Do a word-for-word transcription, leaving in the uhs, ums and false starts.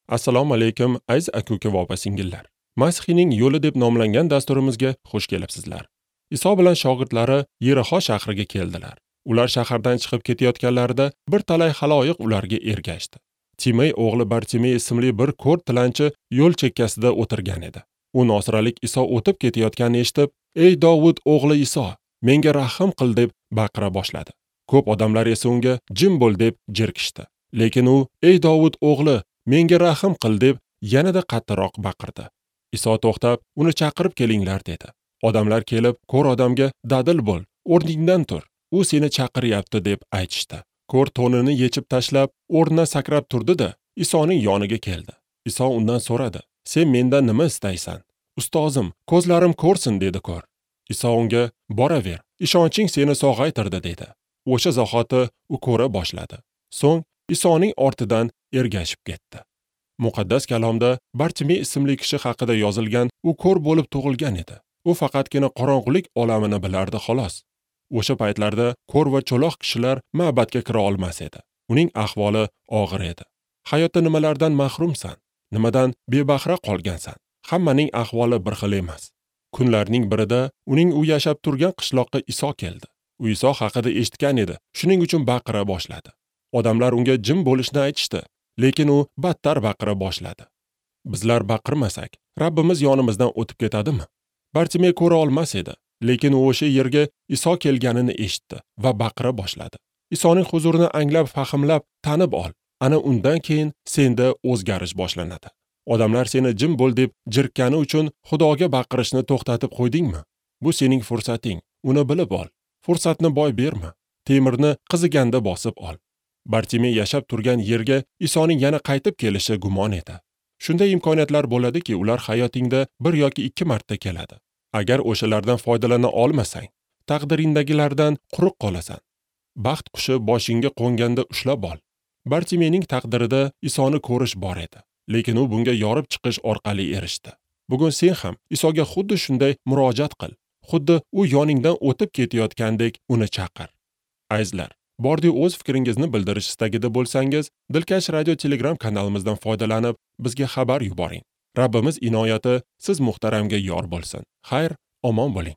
Assalomu alaykum aziz aka-uka va opa-singillar. Masihiyning yo'li deb nomlangan dasturimizga xush kelibsizlar. Iso bilan shogirdlari Yerixo shahriga keldilar. Ular shahardan chiqib ketayotganlarida bir talay xaloyiq ularga ergashdi. Timey o'g'li Bartimey ismli bir ko'r tilanchi yo'l chekkasida o'tirgan edi. U nosiralik Iso o'tib ketayotganini eshitib, "Ey Dovud o'g'li Iso, menga rahm qil" deb baqira boshladi. Ko'p odamlar esa unga "Jim bo'l" deb jirkishdi. Lekin u, "Ey Dovud o'g'li, menga rahm qil" deb yanada qattiqroq baqirdi. Iso to'xtab, uni chaqirib kelinglar dedi. Odamlar kelib, ko'r odamga "Dadil bo'l, o'rningdan tur, u seni chaqiryapti" deb aytishdi. Ko'r to'nini yechib tashlab, o'rnidan sakrab turdi-da, Isoning yoniga keldi. Iso undan so'radi: "Sen mendan nima istaysan?" "Ustozim, ko'zlarim ko'rsin" dedi ko'r. Iso unga: "Boraver, ishonching seni sog'aytirdi" dedi. O'sha zahoti u ko'ra boshladi. So'ng Isoning ortidan ergashib ketdi. Muqaddas kalomda Bartimey ismli kishi haqida yozilgan, u ko'r bo'lib tug'ilgan edi. U faqatgina qorong'ulik olamini bilardi xolos. O'sha paytlarda ko'r va cho'loq kishilar ma'badga kira olmas edi. Uning ahvoli og'ir edi. Hayotda nimalardan mahrumsan? Nimadan bebahra qolgansan? Hammaning ahvoli bir xil emas. Kunlarning birida uning u yashab turgan qishloqqa Iso keldi. U Iso haqida eshitgan edi. Shuning uchun baqira boshladi. Odamlar unga jim bo'lishni aytishdi, lekin u battar baqira boshladi. Bizlar baqirmasak, Rabbimiz yonimizdan o'tib ketadimi? Bartimey ko'ra olmas edi, lekin u o'sha yerga Iso kelganini eshitdi va baqira boshladi. Isoning huzurini anglab, fahmlab, tanib ol. Ana undan keyin senda o'zgarish boshlanadi. Odamlar seni jim bo'l deb jirkani uchun Xudoga baqirishni to'xtatib qo'ydingmi? Bu sening fursating. Uni bilib ol. Fursatni boy berma. Temirni qiziganda bosib ol. Bartimey yashab turgan yerga Isoning yana qaytib kelishi gumon edi. Shunday imkoniyatlar bo'ladiki, ular hayotingda bir yoki ikki marta keladi. Agar o'shalardan foydalana olmasang, taqdiringdagilardan quruq qolasan. Baxt qushi boshingga qo'nganda ushlab ol. Bartimeyning taqdirida Isoni ko'rish bor edi, lekin u bunga yorib chiqish orqali erishdi. Bugun sen ham Isoga xuddi shunday murojaat qil. Xuddi u yoningdan o'tib ketayotgandek uni chaqir. Azizlar, bordi o'z fikringizni bildirish istagida bo'lsangiz, Dilkash Radio Telegram kanalimizdan foydalanib, bizga xabar yuboring. Rabbimiz inoyati siz muhtaramga yor bo'lsin. Xayr, omon bo'ling.